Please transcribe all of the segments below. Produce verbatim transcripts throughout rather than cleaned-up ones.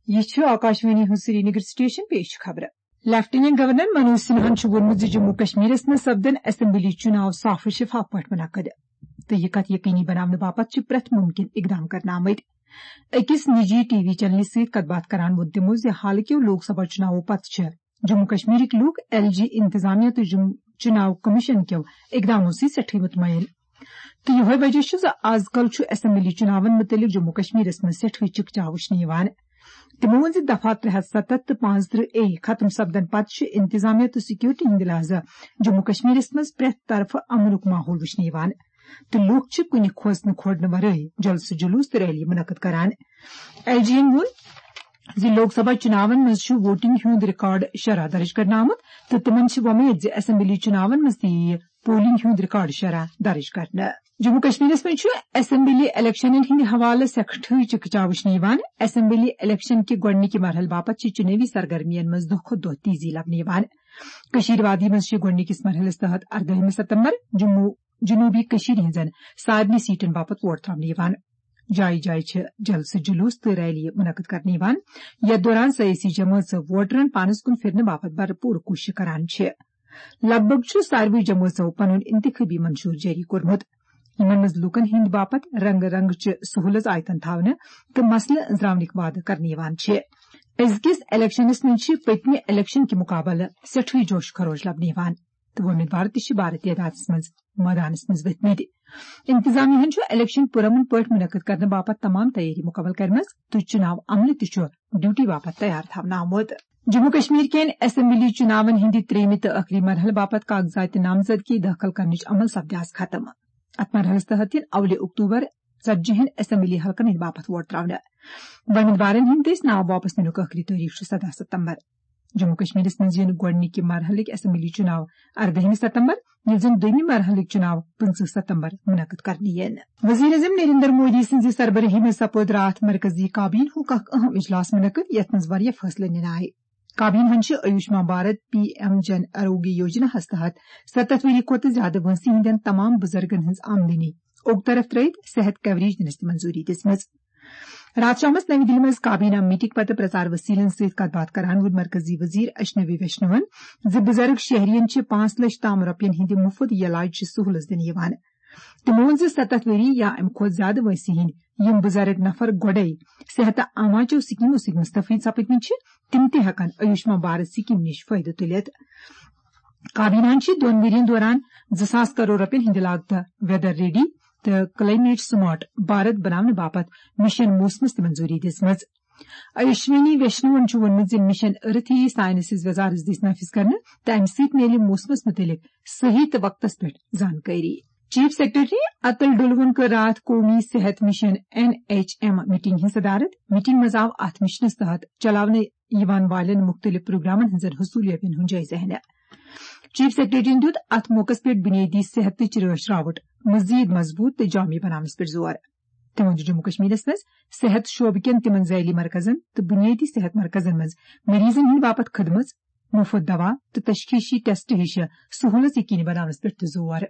یہِ چھُ آکاشوانی ہُنٛد سرینگر سٹیشن، پیش چھِ خبرٕ۔ لیفٹیننٹ گورنر منوج سنہاہن چھُ ووٚنمُت زِ جموں کشمیرس منٛز سپدن اسمبلی چُناو صاف و شفاف پٲٹھۍ منعقد تہٕ یہِ کتھ یقینی بناونہٕ باپتھ چھِ پرٛٮ۪تھ ممکن اقدام کرنہٕ آمٕتۍ۔ أکِس نجی ٹی وی چینلہِ سۭتۍ کتھ باتھ کران ووٚن تِمو زِ حالٕکیو لوک سبھا چُناوو پتہٕ چھِ جموں کشمیرٕکۍ لوٗکھ ایل جی انتظامیہ تہٕ جم-، چُناو کمیشن کیو اقدامو سۭتۍ سٮ۪ٹھٕے مطمئن۔ تہٕ یِہوٚے وجہ چھُ زِ از کل چھُ اسمبلی چُناون مُتعلق جموں کشمیرس منٛز سٮ۪ٹھٕے چکچاو وٕچھنہٕ یِوان۔ تِمو ووٚن زِ دفعہ ترٛےٚ ہتھ ستتھ تہٕ پانٛژترٕہ اے ختم سپدن پتہٕ چھُ انتظامیہ تہٕ سیکورٹی ہٕنٛدِ لحاظہٕ جموں کشمیرس منٛز پرٛٮ۪تھ طرفہٕ امنُک ماحول وٕچھنہٕ یِوان تہٕ لوٗکھ چھِ کُنہِ کھوژنہٕ کھوڑنہٕ ورٲے جلسہٕ جلوس تہٕ ریلی منعقد کران۔ ایل جی ین ووٚن زِ لوک سبھا چُناون منٛز چھُ ووٹنگ ہُنٛد ریکارڈ شرح درج کرنہٕ آمُت تہٕ تِمن چھِ وۄمید زِ اسمبلی چُناون منٛز تہِ یِیہِ پولنگ ہُنٛد ریکارڈ شرح درج کرنہٕ۔ جموں کشمیرس منٛز چھُ اسمبلی الیکشنن ہٕنٛدِ حوالہٕ سٮ۪ٹھٕے چکچاو وٕچھنہٕ یِوان۔ اسمبلی الیکشن کہِ گۄڈٕنِکہِ مرحلہٕ باپتھ چھِ چُنٲوی سرگرمین منٛز دۄہ کھۄتہٕ دۄہ تیزی لبنہٕ یِوان۔ کٔشیٖر وادی منٛز چھِ گۄڈٕنِکِس مرحلس تحت اردٲہمہِ ستمبر جموں، جنوبی کٔشیٖرِ ہٕنٛزن سارنٕے سیٹن باپتھ ووٹ تراونہٕ یِوان۔ جایہِ جایہِ چھِ جلسہٕ جلوس تہٕ ریلی منعقد کرنہٕ یِوان، یتھ دوران سیٲسی جمٲژ ووٹرن پانس کُن پھرنہٕ باپتھ بھرپور کوٗشش کران چھِ۔ لگ بھگ چھُ ساروٕے جمٲژو پنُن انتخابی منشور جٲری کوٚرمُت، یِمن منٛز لوٗکن ہٕنٛدِ باپتھ رنگہٕ رنگہٕ چہِ سہوٗلژ آیتن تھاونہٕ تہٕ مسلہٕ أنٛزراونٕکۍ وعدٕ کرنہٕ یِوان چھِ۔ أزکِس الیکشنس منٛز چھِ پٔتمہِ الیکشن کہِ مُقابلہٕ سٮ۪ٹھٕے جوش خروش لبنہٕ یِوان تہٕ وۄمیدوار تہِ چھِ بارٕ تعدادس منٛز مٲدانس منٛز ؤتھمٕتۍ۔ انتظامیہ ہن چھُ الیکشن پُرامن پٲٹھۍ منعقد کرنہٕ باپتھ تمام تیٲری مُکمل کرمژ تہٕ چُناو عملہٕ تہِ چھُ ڈیوٹی باپتھ تیار تھاونہٕ آمُت۔ جموں کشمیر کٮ۪ن اسمبلی چُناون ہٕنٛدِ ترٛیٚیمہِ تہٕ ٲخری مرحلہٕ باپتھ کاغذات نامزدگی دٲخل کرنٕچ عمل سپدِ آز ختم۔ اتھ مرحلس تحت یِن اولہِ اکتوبر ژتجی ہن اسمبلی حلقن ہٕنٛدِ باپتھ ووٹ تراونہٕ۔ وۄمیدوارن ہٕنٛدۍ دٔسۍ ناو واپس نِنُک ٲخری تٲریخ چھُ سداہ ستمبر۔ جموں کشمیرس منٛز یِن گۄڈٕنِکہِ مرحلٕکۍ اسمبلی چُناو اردٲہمہِ ستمبر، ییٚلہِ زن دوٚیمہِ مرحلٕکۍ چُناو پٕنٛژٕہ ستمبر منعقد کرنہٕ یِن۔ وزیر اعظم نریندر مودی سٕنٛزِ سربرٲہی منٛز سپُد راتھ مرکزی کابینہ ہُک اکھ اہم اجلاس منعقد، یتھ منٛز واریاہ فٲصلہٕ نِنہٕ آیہِ۔ کابینہ ہن چھِ آیوشمان بھارت پی ایم جن آروگیہ یوجنا ہس تحت ستتھ ؤری کھۄتہٕ زیادٕ وٲنٛسہِ ہٕنٛدٮ۪ن تمام بُزرگن ہٕنٛز آمدنی اوٚک طرف ترٲوِتھ صحت کوریج دِنس تہِ منظوری دِژمٕژ۔ راتھ شامس نوِ دِلہِ منٛز کابینہ میٹنگ پتہٕ پرچار وسیلن سۭتۍ کتھ باتھ کران ووٚن مرکزی وزیر اشنوی ویشنون زِ بُزرگ شہرین چھِ پانٛژھ لچھ تام رۄپین ہٕنٛدِ مُفت علاج چہِ سہولت دِنہٕ یِوان۔ تِمو ووٚن زِ ستتھ ؤری یا امہِ کھۄتہٕ زیادٕ وٲنٛسہِ ہٕنٛدۍ یِم بُزرگ نفر گۄڈے صحت عامہ چیو سکیمو سۭتۍ مستفید سپدمٕتۍ چھِ، تِم تہِ ہٮ۪کن آیوشمان بھارت سکیم نِش فٲیدٕ تُلِتھ۔ کابینہ ہن چھِ دۄن ؤرین دوران زٕ ساس کرور رۄپین ہٕنٛدِ لاگتہٕ ویدر ریڈی تہٕ کلائمیٹ سمارٹ بھارت بناونہٕ باپتھ مشن موسمس تہِ منظوری دِژمٕژ۔ اشونی ویشنون چھُ ووٚنمُت زِ مشن ارتھ یِیہِ ساینسز وزارتس دٔسۍ نافذ کرنہٕ تہٕ امہِ سۭتۍ میلہِ موسمس مُتعلق صحیح تہٕ وقتس پٮ۪ٹھ زانکٲری۔ چیف سیکرٹری اتل ڈلوُن کٔر راتھ قومی صحت mission N H M meeting ہٕنٛز صدارت۔ میٹنگ منٛز آو اتھ مشنس تحت چلاونہٕ یِوان والٮ۪ن مُختٔلِف پروگرامن ہٕنٛزن حصوٗلیابین ہُنٛد جٲیزٕ ہینہٕ۔ چیف سیکرٹریَن دیُت اتھ موقعس پٮ۪ٹھ بُنیٲدی صحتٕچ رٲچھ راوٹھ مزید مضبوٗط تہٕ جامع بناونس پٮ۪ٹھ زور۔ تٔمۍ ووٚن زِ جموں کشمیرس منٛز صحت شعبہٕ کٮ۪ن تِمن ذیلی مرکزن تہٕ بُنیٲدی صحت مرکزن منٛز مریضن ہٕنٛدِ باپتھ خدمژ، مُفت دوا تہٕ تشخیصی ٹیسٹ ہِش سہولت یقینی بناونس پٮ۪ٹھ تہِ زور۔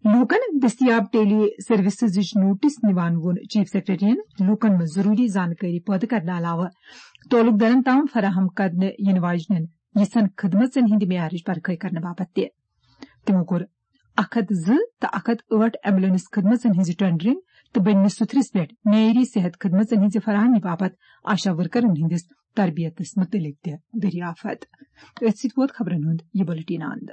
لوٗکن دٔستیاب ٹیلی سروسزٕچ نوٹس نِوان ووٚن چیف سیکرٹریَن لوٗکن منٛز ضروٗری زانکٲری پٲدٕ کرنہٕ علاوٕ تعلق دارن تام فراہم کرنہٕ یِنہٕ واجنٮ۪ن یِژھن خدمژن ہٕنٛدِ معیارٕچ پرکھٲے کرنہٕ باپتھ تہِ۔ تِمو کوٚر اکھ ہتھ زٕ تہٕ اکھ ہتھ ٲٹھ ایمبولینس خدمژن ہٕنٛزِ ٹینڈرنگ تہٕ بٔنمِس سُتھرِس پٮ۪ٹھ معیٲری صحت خدمژن ہٕنٛزِ فراہمی باپتھ آشا ورکرن ہٕنٛدِس تربیتس مُتعلق تہِ دریافت۔ أتھۍ سۭتۍ ووت خبرن ہُنٛد یہِ بُلٹن اند۔